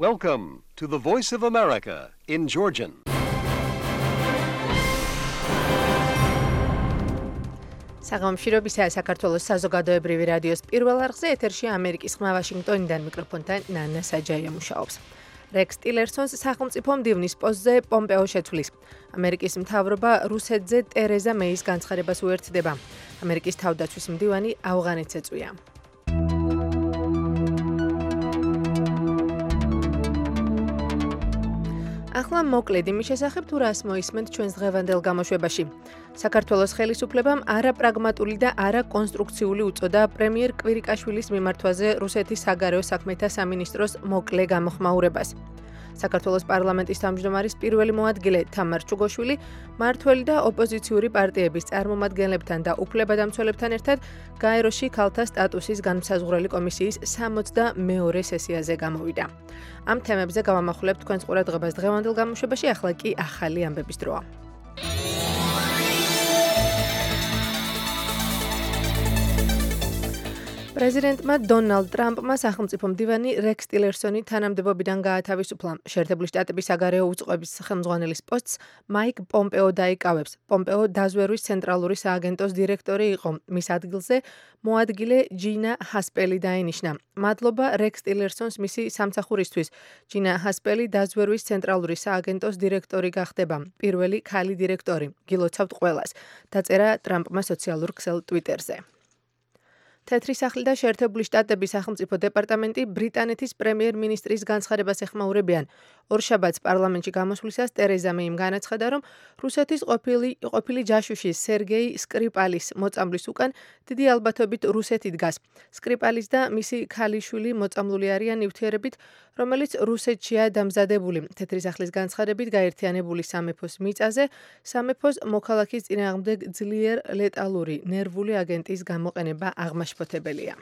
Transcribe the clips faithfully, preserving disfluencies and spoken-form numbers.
Welcome to the Voice of America in Georgian. საღამოშირობისა საქართველოს საზოგადოებრივი რადიოს პირველ არხზე ეთერში ამერიკის ხმა ვაშინგტონიდან მიკროფონთან ნანა საჯაია მუშაობს. რექს ტილერსონს სახელმწიფო მდივნის პოსტზე პომპეო შეცვლის. ამერიკის მთავრობა რუსეთზე ტერეზა მეის განცხადებას უერთდება. ამერიკის თავდაცვის მდივანი ავღანეთს ეწვია. ახლა მოკლედ იმის შესახებ თუ რას მოისმენთ ჩვენს დღევანდელ გამოშვებაში. საქართველოს ხელისუფლებამ არაპრაგმატული და არაკონსტრუქციული უწოდა პრემიერ კვირიკაშვილის მიმართვაზე რუსეთის საგარეო საქმეთა სამინისტროს მოკლე გამოხმაურებას. საქართველოს პარლამენტის თავმჯდომარის პირველი მოადგილე თამარ ჩუგოშვილი მმართველი და ოპოზიციური პარტიების წარმომადგენლებთან და უფლებადამცველებთან ერთად გაეროში ქალთა სტატუსის განმსაზღვრელი კომისიის სამოცდამეორე სესიაზე გამოვიდა. ამ თემებზე გავამახვილებთ თქვენს ყურადღებას დღევანდელ გამოშვებაში, ახლა კი ახალი ამბების დროა. პრეზიდენტმა დონალდ ტრამპმა სახელმწიფო მდივანი რექს ტილერსონი თანამდებობიდან გაათავისუფლა. შეერთებული შტატების საგარეო უწყების ხელმძღვანელის პოსტს მაიკ პომპეო დაიკავებს. პომპეო დაზვერვის ცენტრალური სააგენტოს დირექტორი იყო. მის ადგილზე მოადგილე ჯინა ჰასპელი დაინიშნა. მადლობა რექს ტილერსონს მისი სამსახურისთვის. ჯინა ჰასპელი დაზვერვის ცენტრალური სააგენტოს დირექტორი გახდება. პირველი ქალი დირექტორი. გილოცავთ ყველას. დაწერა ტრამპმა სოციალურ ქსელ ტვიტერზე. თეთრი სახლი და შეერთებული შტატების სახელმწიფო დეპარტამენტი ბრიტანეთის პრემიერ-მინისტრის განცხადებას ეხმაურებიან. ორშაბათს პარლამენტში გამოსვლისას ტერეზა მეიმ განაცხადა, რომ რუსეთის ყოფილი ყოფილი ჯაშუში სერგეი სკრიპალის მოწამვლის უკან დიდი ალბათობით რუსეთი დგას. სკრიპალის და მისი ქალიშვილი მოწამლული არიან ნივთიერებით, რომელიც რუსეთშია დამზადებული. თეთრი სახლის განცხადებით გაერთიანებული სამეფოს მიწაზე სამეფოს მოქალაქის წინააღმდეგ ძლიერ ლეტალური ნერვული აგენტის გამოყენება აღმაშფოთებელია.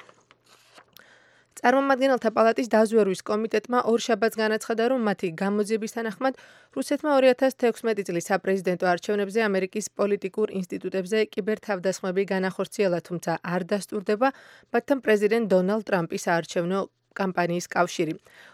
წარმომადგენელთა პალატის დაზვერვის კომიტეტმა ორშაბათს განაცხადა, რომ მათი გამოძიების თანახმად რუსეთმა ორი ათას თექვსმეტი წლის საპრეზიდენტო არჩევნებზე ამერიკის პოლიტიკურ ინსტიტუტებზე კიბერთავდასხმები განახორციელა, თუმცა არ დასტურდება მათთან პრეზიდენტ დონალდ ტრამპის საარჩევნო კამპანიის კავშირი.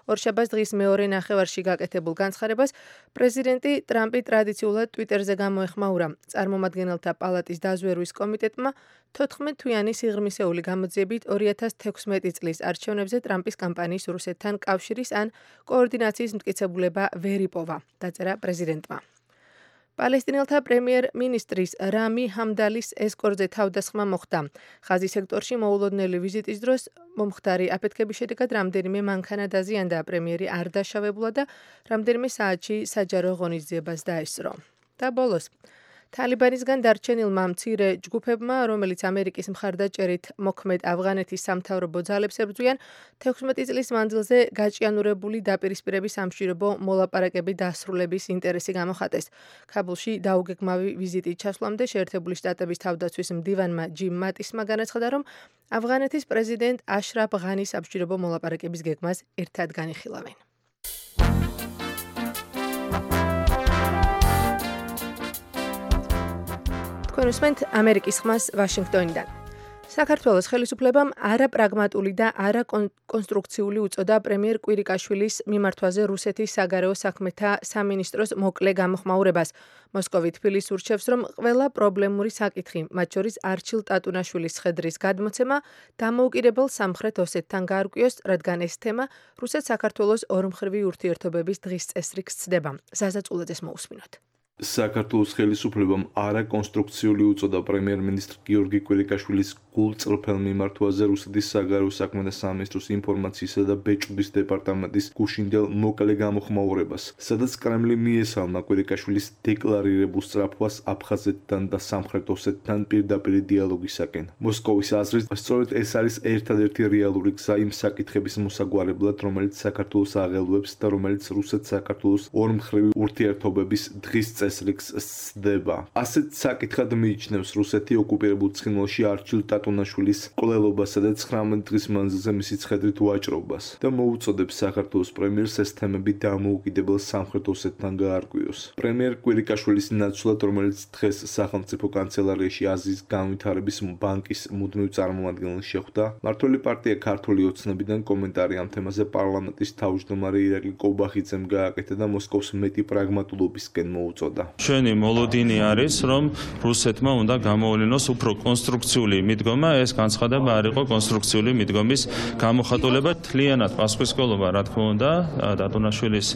ორშაბათს დღის მეორე ნახევარში გაკეთებულ განცხადებას პრეზიდენტი ტრამპი ტრადიციულად ტვიტერზე გამოეხმაურა. წარმომადგენელთა პალატის დაზვერვის კომიტეტმა თოთხმეტ თვიანი სიღრმისეული გამოძიებით ორი ათას თექვსმეტი წლის არჩევნებზე ტრამპის კამპანიის რუსეთთან კავშირის ან კოორდინაციის მტკიცებულება ვერ იპოვა, დაწერა პრეზიდენტმა. პალესტინელთა პრემიერ-მინისტრის რამი ჰამდალის ესკორზე თავდასხმა მოხდა. ხაზის სექტორში მოულოდნელი ვიზიტის დროს მომხდარი აფეთქების შედეგად რამდენიმე მანქანა დაზიანდა. პრემიერი არ დაშავებულა და რამდენიმე საათში საჯარო ღონისძიებას დაესწრო. და ბოლოს თალიბანისგან დარჩენილმა მცირე ჯგუფებმა, რომელიც ამერიკის მხარდაჭერით მოქმედ ავღანეთის სამთავრობო ძალებს ებრძვიან, თექვსმეტი წლის მანძილზე გაჭიანურებული დაპირისპირების სამშვიდობო მოლაპარაკები დასრულების ინტერესი გამოხატეს. ქაბულში დაუგეგმავი ვიზიტით ჩასვლამდე შეერთებული შტატების თავდაცვის მდივანმა ჯიმ მატისმა განაცხადა, რომ ავღანეთის პრეზიდენტ აშრაფ ღანის სამშვიდობო მოლაპარაკების გეგმას ერთად განიხილავენ. თქვენ უსმენთ ამერიკის ხმას ვაშინგტონიდან. საქართველოს ხელისუფლებამ არაპრაგმატული და არაკონსტრუქციული უწოდა პრემიერ კვირიკაშვილის მიმართვაზე რუსეთის საგარეო საქმეთა სამინისტროს მოკლე გამოხმაურებას. მოსკოვი თბილისს ურჩევს, რომ ყველა პრობლემური საკითხი, მათ შორის არჩილ ტატუნაშვილის სხედრის გადმოცემა, დამოუკიდებელ სამხრეთ ოსეთთან გაარკვიოს, რადგან ეს თემა რუსეთ-საქართველოს ორმხრივი ურთიერთობების დღის წესრიგს ცდება. ზაზა წულაძეს მოусმინოთ. საქართველოს ხელისუფლებამ არაკონსტრუქციული უწოდა პრემიერ-მინისტრ გიორგი კვირიკაშვილის გულწრფელ მიმართვაზე რუსეთის საგარეო საქმეთა სამინისტროს ინფორმაციისა და ბეჭდვის დეპარტამენტის გუშინდელ მოკლე გამოხმაურებას, სადაც კრემლი მიესალმა კვირიკაშვილის დეკლარირებულ სწრაფვას აფხაზეთთან და სამხრეთ ოსეთთან პირდაპირი დიალოგისაკენ. მოსკოვის აზრით, სწორედ ეს არის ერთადერთი რეალური გზა იმ საკითხების მოსაგვარებლად, რომელიც საქართველოს აღელვებს და რომელიც რუსეთ-საქართველოს ორმხრივი ურთიერთობების დღის დღეს რიგს სცდება. ასეთ საკითხად მიიჩნევს რუსეთი ოკუპირებულ ცხინვალში არჩილ ტატუნაშვილის მკვლელობასა და ცხრამეტ დღის მანძილზე მისი ცხედრით ვაჭრობას და მოუწოდებს საქართველოს პრემიერს ეს თემები დამოუკიდებელ სამხრეთ ოსეთთან გაარკვიოს. პრემიერ კვირიკაშვილის ნაცვლად, რომელიც დღეს სახელმწიფო კანცელარიაში აზიის განვითარების ბანკის მუდმივ წარმომადგენელს შეხვდა, მმართველი პარტია ქართული ოცნებიდან კომენტარი ამ თემაზე პარლამენტის თავმჯდომარე ირაკლი კობახიძემ გააკეთა და მოსკოვს მეტი პრაგმატულობისკენ მოუწოდა. ჩვენი მოლოდინი არის, რომ რუსეთმა უნდა გამოუვლინოს უფრო კონსტრუქციული მიდგომა, ეს განცხადება არ იყო კონსტრუქციული მიდგომის გამოხატულება, თლიანად პასუხისმგებლობა, რა თქმა უნდა, ტატუნაშვილის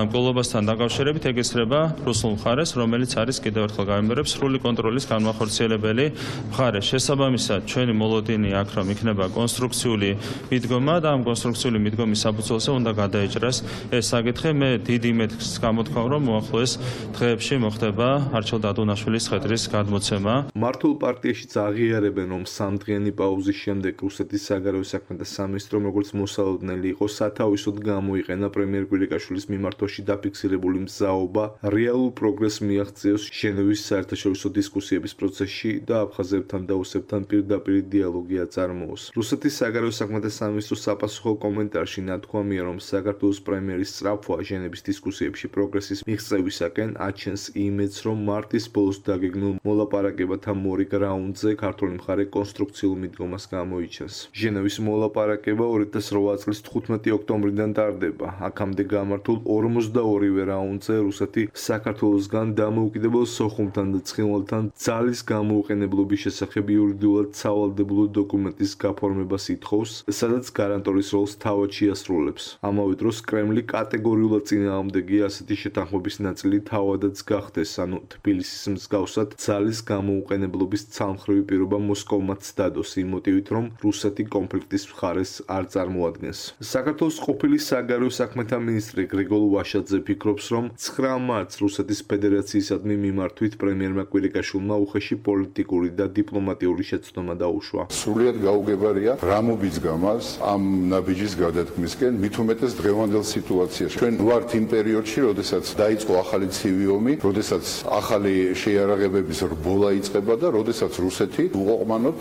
მკვლელობასთან დაკავშირებით ეკისრება რუსულ მხარეს, რომელიც არის კიდევ ერთხელ გამიმერებს სრული კონტროლის განმახორციელებელი მხარე. შესაბამისად, ჩვენი მოლოდინი აქ რომ იქნება კონსტრუქციული მიდგომა და ამ კონსტრუქციული მიდგომის საფუძველზე უნდა გადაეჭრას ეს საკითხი. მე დიდი იმედს გამოთქვამ, რომ მოახლოეს დღეებში მოხდება არჩილ ტატუნაშვილის ცხედრის გადმოცემა. მართულ პარტიაშიც აღიარებენ, რომ სამდღიანი პაუზის შემდეგ რუსეთის საგარეო საქმეთა სამინისტრომ როგორც მოსალოდნელი იყო სათავისოდ გამოიყენა პრემიერ კვირიკაშვილის მიმართვაში დაფიქსირებული მზაობა რეალურ პროგრესს მიაღწიოს ჟენევის საერთაშორისო დისკუსიების პროცესში და აფხაზებთან და ოსებთან პირდაპირ დიალოგი აწარმოოს. რუსეთის საგარეო საქმეთა სამინისტროს საპასუხო კომენტარში ნათქვამია, რომ საქართველოს პრემიერის სწრაფვა ჟენევის დისკუსიებში პროგრესის მიღწევისაკენ აჩენს იმედს, რომ მარტის ბოლოს დაგეგმილ მოლაპარაკებათა მორიგ რაუნდზე ქართული მხარე კონსტრუქციულ მიდგომას გამოიჩენს. ჟენევის მოლაპარაკება ორი ათას რვა წლის თხუთმეტი ოქტომბრიდან ტარდება. აქამდე გამართულ ორმოცდაორივე რაუნდზე რუსეთი საქართველოსგან დამოუკიდებელ სოხუმთან და ცხინვალთან ძალის გამოუყენებლობის შესახებ იურიდიულად სავალდებულო დოკუმენტის გაფორმებას ითხოვს, სადაც გარანტორის როლს თავად შეასრულებს. ამავე დროს კრემლი კატეგორიულად წინააღმდეგია ასეთი შეთანხმების ნაწილი თავადაც გახდეს, ანუ თბილისის მსგავსად ძალის გამოუყენებლობის ცალმხრივი პირობა მოსკოვმაც დადოს იმ მოტივით, რომ რუსეთი კონფლიქტის მხარეს არ წარმოადგენს. საქართველოს ყოფილი საგარეო საქმეთა მინისტრი გრიგოლ ვაშაძე ფიქრობს, რომ ცხრა მარტს რუსეთის ფედერაციისადმი მიმართვით პრემიერმა კვირიკაშვილმა უხეში პოლიტიკური და დიპლომატიური შეცდომა დაუშვა. სრულიად გაუგებარია რა მობიძგა მას ამ ნაბიჯის გადადგმისკენ, მით უმეტეს დღევანდელ სიტუაციაში. ჩვენ ვართ იმ პერიოდში, როდესაც დაიწყო ახალი ცივი ომი, როდესაც ახალი შეიარაღებების რბოლა იწყება და როდესაც რუსეთი უყოყმანოდ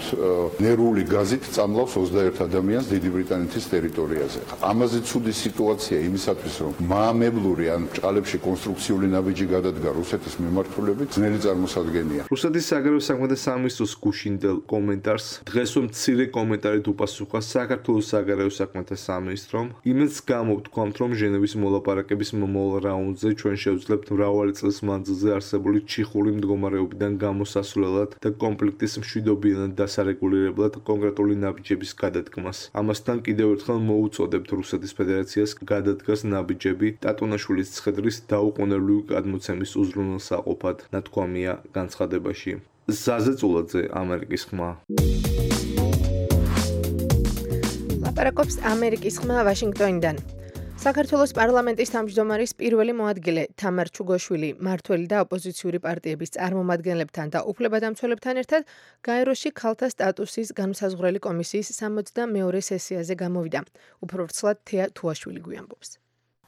ნერვული გაზით წამლავს ოცდაერთ ადამიანს დიდი ბრიტანეთის ტერიტორიაზე. ამაზე ცუდი სიტუაცია იმისათვის, რომ მაამებლური ან ჭყალებში კონსტრუქციული ნაბიჯი გადადგა რუსეთის მიმართულებით, ძნელი წარმოსადგენია. რუსეთის საგარეო საქმეთა სამინისტროს გუშინდელ კომენტარს დღესვე მცირე კომენტარით უპასუხა საქართველოს საგარეო საქმეთა სამინისტრომ. იმედს გამოვთქვამთ, რომ ჟენევის მოლაპარაკების მომავალ რაუნდზე ჩვენ შევძლებთ მრავალი წლის მანძილზე არსებული ჩიხური მდგომარეობიდან გამოსასვლელად და კონფლიქტის მშვიდობიანად დასარეგულირებლად კონკრეტული ნაბიჯების გადადგმას. ამასთან კიდევ ერთხელ მოუწოდებთ რუსეთის ფედერაციას გადადგას ნაბიჯები ტატუნაშვილის ცხედრის დაუყოვნებლივი გადმოცემის უზრუნველსაყოფად, ნათქვამია განცხადებაში. ზაზე წულაძე, ამერიკის ხმა. ლაპარაკობს ამერიკის ხმა ვაშინგტონიდან. საქართველოს პარლამენტის თავმჯდომარის პირველი მოადგილე თამარ ჩუგოშვილი მმართველი და ოპოზიციური პარტიების წარმომადგენლებთან და უფლებადამცველებთან ერთად გაეროში ქალთა სტატუსის განმსაზღვრელი კომისიის სამოცდამეორე სესიაზე გამოვიდა. უფრო ვრცლად თეა თუაშვილი გვიამბობს.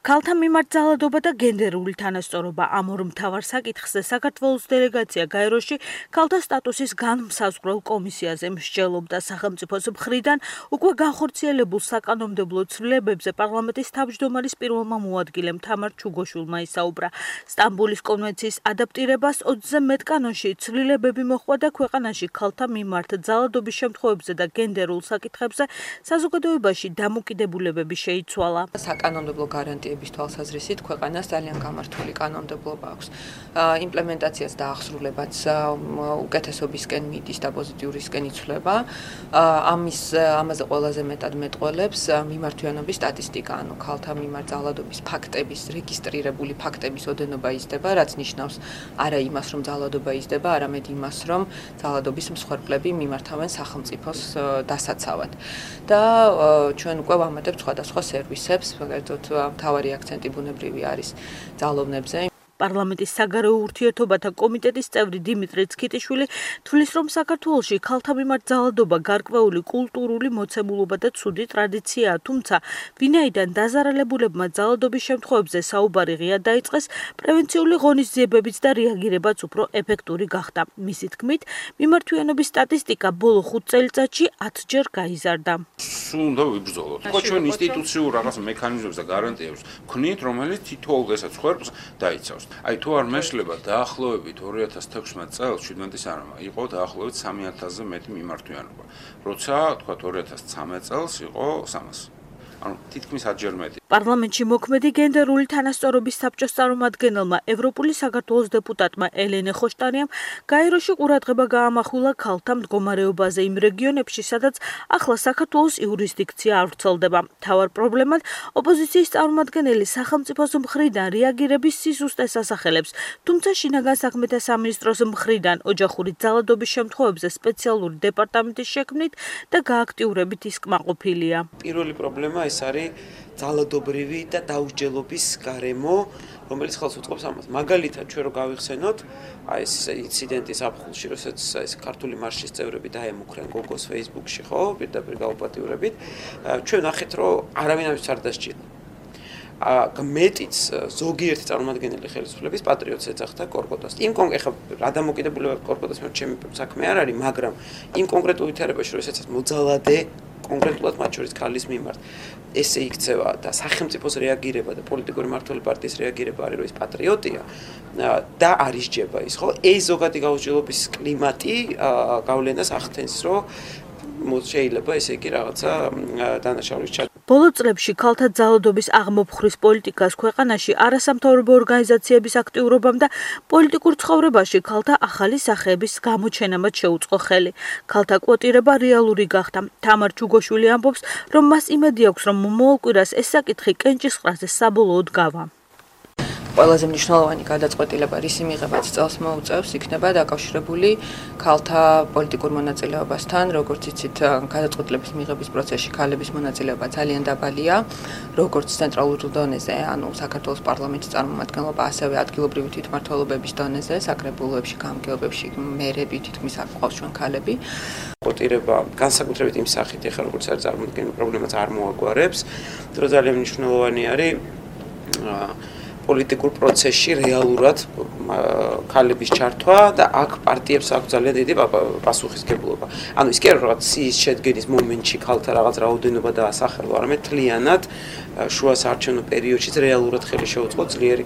ქალთა მიმართ ძალადობა და გენდერული თანასწორობა ამ ორ მთავარ საკითხზე საქართველოს დელეგაცია გაეროში ქალთა სტატუსის განმსაზღვრელ კომისიაზე მსჯელობდა. სახელმწიფოს მხრიდან უკვე განხორციელებულ საკანონმდებლო ცვლილებებზე პარლამენტის თავმჯდომარის პირველმა მოადგილემ თამარ ჩუგოშვილმა ისაუბრა. სტამბოლის კონვენციის ადაპტირებას ოცზე მეტ კანონში ცვლილებები მოჰყვა და ქვეყანაში ქალთა მიმართ ძალადობის შემთხვევებზე და გენდერულ საკითხებზე საზოგადოებაში დამოკიდებულებები შეიცვალა. საკანონმდებლო გარანტიები თვალსაზრისით ქვეყანას ძალიან გამართული კანონმდებლობა აქვს. იმპლემენტაციაც და აღსრულებაც უკეთესობისკენ მიდის და პოზიტიურისკენ იცვლება. ამის ამაზე ყველაზე მეტად მეტყველებს მიმართვიანობის სტატისტიკა, ანუ ქალთა მიმართ ძალადობის ფაქტების, რეგისტრირებული ფაქტების ოდენობა იზრდება, რაც ნიშნავს არა იმას, რომ ძალადობა იზრდება, არამედ იმას, რომ ძალადობის მსხვერპლები მიმართავენ სახელმწიფოს დასაცავად. და ჩვენ უკვე ვამატებთ სხვადასხვა სერვისებს, მაგალითად მთავარი აქცენტი ბუნებრივი არის ძალოვნებზე. პარლამენტის საგარეო ურთიერთობათა კომიტეტის წევრი დიმიტრი ცქიტიშვილი თვლის, რომ საქართველოში ქალთა მიმართ ძალადობა გარკვეული კულტურული მოცემულობა და ცუდი ტრადიციაა, თუმცა ვინაიდან დაზარალებულებმა ძალადობის შემთხვევებზე საუბარი ღია დაიწყეს, პრევენციული ღონისძიებებიც და რეაგირებაც უფრო ეფექტური გახდა. მისი თქმით, მიმართვიანობის სტატისტიკა ბოლო ხუთ წელიწადში ათჯერ გაიზარდა. სულ უნდა ვიბრძოლოთ. ხო, ჩვენ ინსტიტუციურ რაღაც მექანიზმებს და გარანტიებს ვქნით, რომელიც თითოეულ დღესაც ხერხს დაიცავს. აი თუ არ მეშლება დაახლოებით ორი ათას თექვსმეტ წელს, შვიდმეტის არამა, იყო დაახლოებით სამი ათასზე მეტი მიმართვიანობა. როცა თქვა ორი ათას ცხრამეტ წელს იყო სამას. ანუ თითქმის ათჯერ მეტი. პარლამენტში მოქმედი გენდერული თანასწორობის საბჭოს წარმომადგენელმა ევროპული საქართველოს დეპუტატმა ელენე ხოშტარიამ გაეროში ყურადღება გაამახვილა ქალთა მდგომარეობაზე იმ რეგიონებში, სადაც ახლა საქართველოს იურისდიქცია არ ვრცელდება. მთავარ პრობლემად ოპოზიციის წარმომადგენელი სახელმწიფოს მხრიდან რეაგირების სიზუსტეს ასახელებს, თუმცა შინაგან საქმეთა სამინისტროს მხრიდან ოჯახური ძალადობის შემთხვევებზე სპეციალური დეპარტამენტის შექმნით და გააქტიურებით ის კმაყოფილია. პირველი პრობლემა ეს არის ძალადობრივი და დაუსჯელობის გარემო, რომელიც ხელს უწყობს ამას. მაგალითად, ჩვენ რო გავიხსენოთ, აი ეს ინციდენტი საფხულში, როსაც ეს ქართული მარშის წევრები დაემუქრენ გოგოს Facebook-ში, ხო, პირდაპირ გაუპატიურებით, ჩვენ ნახეთ, რომ არავინ ამის არ დასჭირდა. მეტიც ზოგიერთი წარმომადგენელი ხელისუფლების პატრიოტს ეძახდა კორკოტას. იმ კონკრეტ რა დამოკიდებულება კორკოტას მე ჩემი საქმე არ არის, მაგრამ იმ კონკრეტულ ვითარებაში, როდესაც მოძალადე კონკრეტულად მათ შორის ქალის მიმართ ესე იქცევა და სახელმწიფოს რეაგირება და პოლიტიკური მმართველი პარტიის რეაგირება არის, რომ ის პატრიოტია და არის ჯება ის, ხო? ეს ზოგადი გაუსჯელობის კლიმატი გავლენას ახდენს, რომ შეიძლება ესე იგი რაღაცა დანაშაულის ჩა ბოლო წლებში ქალთა ძალადობის აღმოფხვრის პოლიტიკას ქვეყანაში არასამთავრობო ორგანიზაციების აქტიურობამ და პოლიტიკურ ცხოვრებაში ქალთა ახალი სახეების გამოჩენამაც შეუწყო ხელი. ქალთა კვოტირება რეალური გახდა. თამარ ჩუგოშვილი ამბობს, რომ მას იმედი აქვს, რომ მომავალ კვირას ეს საკითხი კენჭისყრაზე საბოლოოდ გავა. ყველაზე მნიშვნელოვანი გადაწყვეტილება, რის მიღებაც წელს მოუწევს, იქნება დაკავშირებული ქალთა პოლიტიკურ მონაწილეობასთან, როგორც იცით, გადაწყვეტილების მიღების პროცესში ქალების მონაწილეობა ძალიან დაბალია, როგორც ცენტრალურ დონეზე, ანუ საქართველოს პარლამენტის წარმომადგენლობა, ასევე ადგილობრივი თვითმმართველობების დონეზე, საკრებულოებში, გამგეობებში, მერები თითქმის არ ყავს ჩვენ ქალები. კვოტირება განსაკუთრებით იმ სახით, ეხლა როგორც არის წარმოქმნილი პრობლემაც არ მოაგვარებს, რომ ძალიან მნიშვნელოვანი არის პოლიტიკურ პროცესში რეალურად ქალების ჩართვა და აქ პარტიებს აქვს ძალიან დიდი პასუხისმგებლობა. ანუ ის კი არა რაღაც სიის შედგენის მომენტში ქალთა რაღაც რაოდენობა და ასახელვა, არამედ თლიანად შუა საარჩევნო პერიოდშიც რეალურად ხელი შეუწყო ძლიერი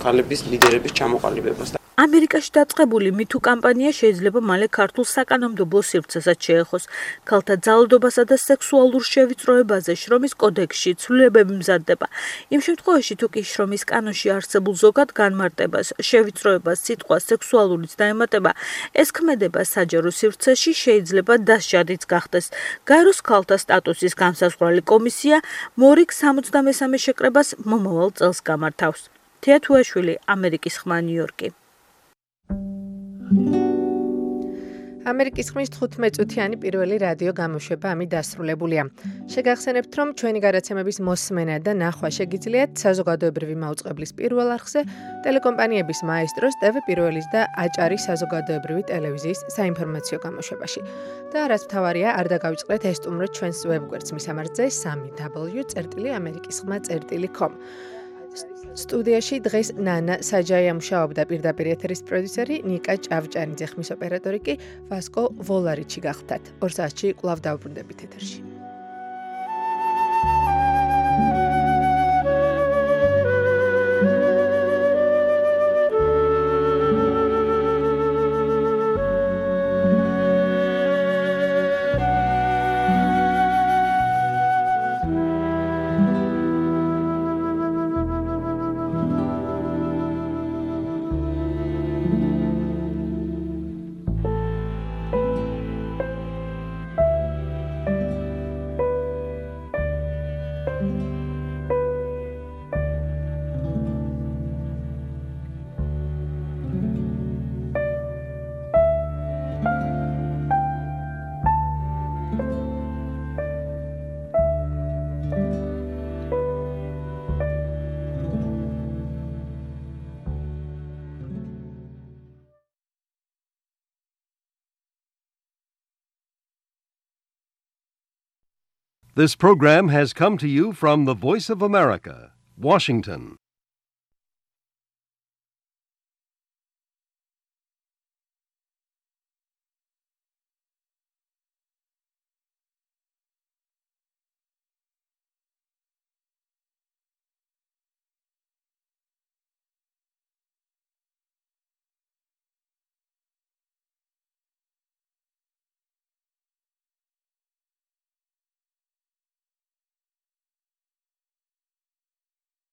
ქალების ლიდერების ჩამოყალიბებას. ამერიკაში დაწყებული მითუ კამპანია შეიძლება მალე ქართულ საკანონმდებლო სივრცესაც შეეხოს. ქალთა ძალადობასა და სექსუალურ შევიწროებაზე შრომის კოდექსში ცვლილებები მზადდება. იმ შემთხვევაში, თუ კი შრომის კანონში არსებულ ზოგად განმარტებას, შევიწროებას, სიტყვას სექსუალურიც დაემატება, ეს ქმედება საჯარო სივრცეში შეიძლება დასჯადიც გახდეს. გაეროს ქალთა სტატუსის განსაზღვრალი კომისია მორიგ სამოცდამესამე შეკრებას მომავალ წელს გამართავს. თეა თუაშვილი, ამერიკის ხმა, ნიუ-იორკი. ამერიკის ხმის თხუთმეტ-წუთიანი პირველი რადიო გამოშვება ამით დასრულებულია. შეგახსენებთ, რომ ჩვენი გადაცემების მოსმენა და ნახვა შეგიძლიათ საზოგადოებრივი მაუწყებლის პირველ არხზე, ტელეკომპანიების მაესტროს, ტევ პირველის და აჭარის საზოგადოებრივი ტელევიზიის საინფორმაციო გამოშვებაში. და რაც მთავარია, არ დაგავიწყდეთ ესტუმროთ ჩვენს ვებგვერდს მისამართზე სამი დაბლიუ წერტილი ამერიკის ხმა წერტილი com. სტუდიაში დღეს ნანა საჯაია მუშაობდა, პირდაპირ ეთერის პროდიუსერი ნიკა ჭავჭანიძე, ხმის ოპერატორი კი ვასკო ვოლარიჩი გახდათ. ორ საათში კვლავ დავბრუნდებით ეთერში. This program has come to you from the Voice of America, Washington.